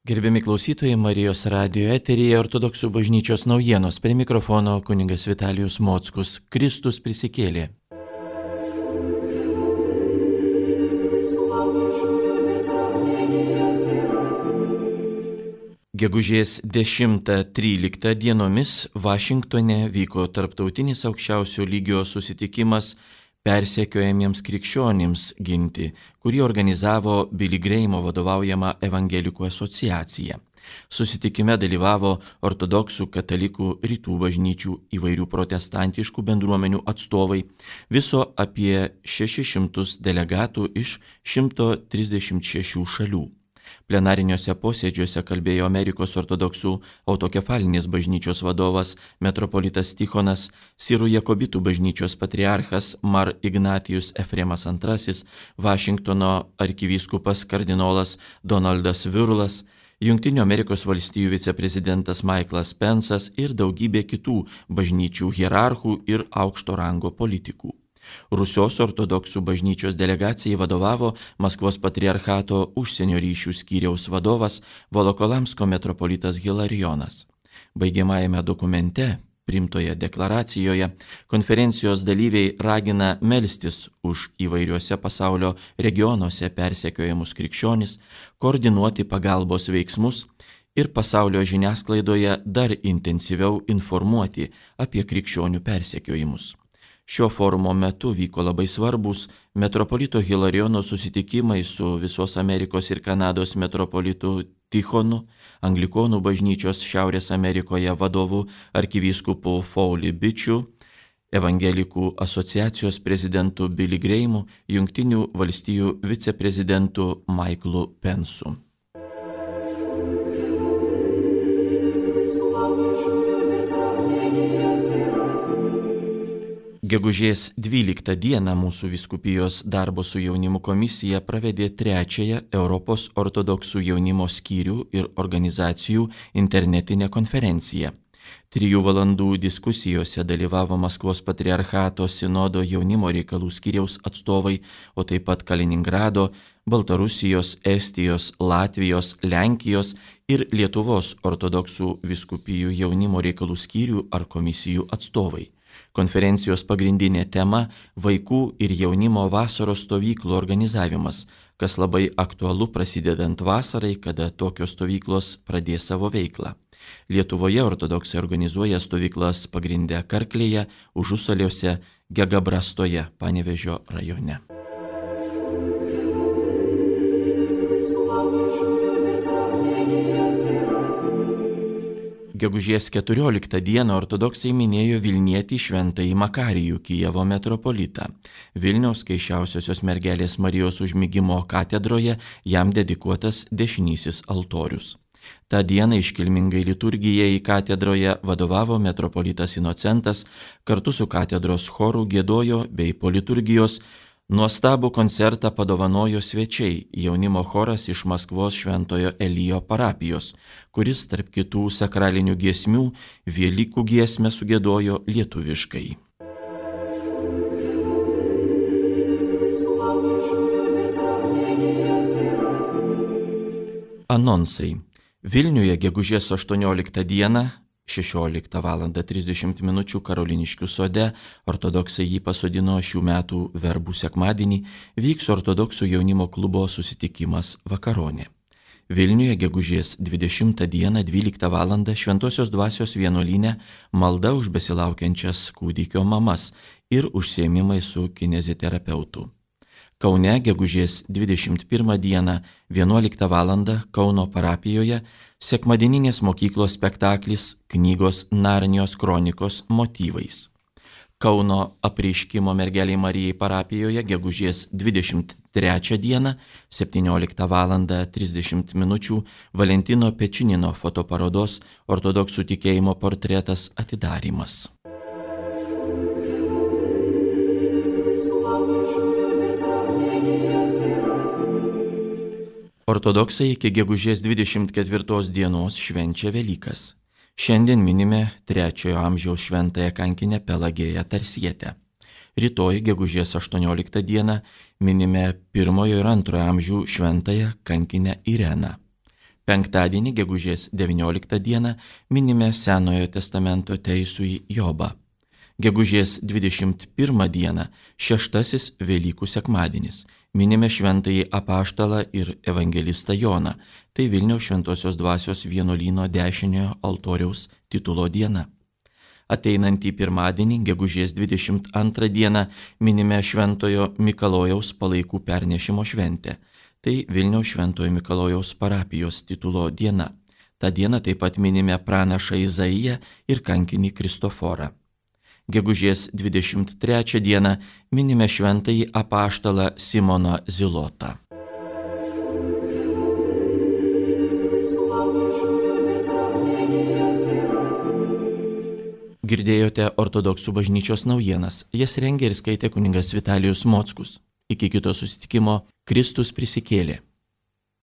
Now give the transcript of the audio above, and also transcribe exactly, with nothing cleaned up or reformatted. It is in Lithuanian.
Gerbiami klausytojai, Marijos radijo eteryje Ortodoksų bažnyčios naujienos. Prie mikrofono kunigas Vitalijus Mockus. Kristus prisikėlė. Gegužės dešimtą tryliktą dienomis Vašingtone vyko tarptautinis aukščiausio lygio susitikimas persekiojamiems krikščionims ginti, kurį organizavo Billy Grahamo vadovaujama Evangelikų asociacija. Susitikime dalyvavo ortodoksų, katalikų, rytų bažnyčių, įvairių protestantiškų bendruomenių atstovai, viso apie šešis šimtus delegatų iš šimto trisdešimt šešių šalių. Plenariniuose posėdžiuose kalbėjo Amerikos ortodoksų autokefalinės bažnyčios vadovas metropolitas Tichonas, Sirų Jakobitų bažnyčios patriarchas Mar Ignatijus Efremas antrasis, Vašingtono arkivyskupas kardinolas Donaldas Virlas, Jungtinių Amerikos valstijų viceprezidentas Michaelas Pensas ir daugybė kitų bažnyčių hierarchų ir aukšto rango politikų. Rusios ortodoksų bažnyčios delegacijai vadovavo Maskvos patriarchato užsienio ryšių skyriaus vadovas Volokolamsko metropolitas Hilarijonas. Baigiamajame dokumente, priimtoje deklaracijoje, konferencijos dalyviai ragina melstis už įvairiuose pasaulio regionuose persekiojamus krikščionis, koordinuoti pagalbos veiksmus ir pasaulio žiniasklaidoje dar intensyviau informuoti apie krikščionių persekiojimus. Šio forumo metu vyko labai svarbus metropolito Hilarijono susitikimai su visos Amerikos ir Kanados metropolitu Tichonu, Anglikonų bažnyčios Šiaurės Amerikoje vadovu arkivyskupu Foley Bičiu, Evangelikų asociacijos prezidentu Billy Grahamu, Jungtinių valstijų viceprezidentu Michaelu Pensu. Gegužės dvyliktą dieną mūsų vyskupijos darbo su jaunimu komisija pravedė trečiąją Europos ortodoksų jaunimo skyrių ir organizacijų internetinę konferenciją. Trijų valandų diskusijose dalyvavo Maskvos patriarchato sinodo jaunimo reikalų skyriaus atstovai, o taip pat Kaliningrado, Baltarusijos, Estijos, Latvijos, Lenkijos ir Lietuvos ortodoksų vyskupijų jaunimo reikalų skyrių ar komisijų atstovai. Konferencijos pagrindinė tema – vaikų ir jaunimo vasaros stovyklų organizavimas, kas labai aktualu prasidedant vasarai, kada tokios stovyklos pradės savo veiklą. Lietuvoje ortodoksai organizuoja stovyklas pagrindę Karklėje, Užusaliuose, Gegabrastoje, Panevėžio rajone. Gegužės keturioliktą dieną ortodoksai minėjo Vilnietį šventąjį Makarijų, Kijevo metropolitą. Vilniaus Kaišiausiosios mergelės Marijos užmigimo katedroje jam dedikuotas dešinysis altorius. Ta diena iškilmingai liturgijai katedroje vadovavo metropolitas Inocentas, kartu su katedros choru giedojo bei po liturgijos nuostabų koncertą padovanojo svečiai, jaunimo choras iš Maskvos Šventojo Elijo parapijos, kuris tarp kitų sakralinių giesmių Velykų giesmę sugiedojo lietuviškai. Anonsai. Vilniuje gegužės aštuonioliktą dieną šešioliktą valandą trisdešimt minučių Karoliniškių sode, ortodoksai jį pasodino šių metų verbų sekmadienį, vyks ortodoksų jaunimo klubo susitikimas Vakaronė. Vilniuje gegužės dvidešimtą dieną dvyliktą valandą Šventosios dvasios vienuolyne malda už besilaukiančias kūdikio mamas ir užsiėmimai su kineziterapeutu. Kaune gegužės dvidešimt pirmą dieną vienuoliktą valandą Kauno parapijoje sekmadieninės mokyklos spektaklis knygos Narnijos kronikos motyvais. Kauno apreiškimo mergelei Marijai parapijoje gegužės dvidešimt trečią dieną septynioliktą valandą trisdešimt minučių Valentino Pečinino fotoparodos ortodoksų tikėjimo portretas atidarymas. Ortodoksai iki gegužės dvidešimt ketvirtos dienos švenčia Velykas. Šiandien minime trečiojo amžiaus šventąją kankinę Pelagėją Tarsietę. Rytoj, gegužės aštuonioliktą dieną, minime pirmojo ir antrojo amžių šventąją kankinę Ireną. Penktadienį, gegužės devynioliktą dieną, minime Senojo testamento teisųjį Jobą. Gegužės dvidešimt pirmą dieną, šeštasis Velykų sekmadienis, minime šventąjį apaštalą ir evangelistą Joną. Tai Vilniaus Šventosios Dvasios vienuolyno dešiniojo altoriaus titulo diena. Ateinantį pirmadienį, gegužės dvidešimt antrą dieną, minime Šventojo Mikalojaus palaikų pernešimo šventę. Tai Vilniaus Šventojo Mikalojaus parapijos titulo diena. Ta diena taip pat minime pranašą Izaiją ir kankinį Kristoforą. Gegužės dvidešimt trečią dieną minime šventąjį apaštalą Simoną Zilotą. Girdėjote ortodoksų bažnyčios naujienas. Jas rengė ir skaitė kunigas Vitalijus Mockus. Iki kito susitikimo. Kristus prisikėlė.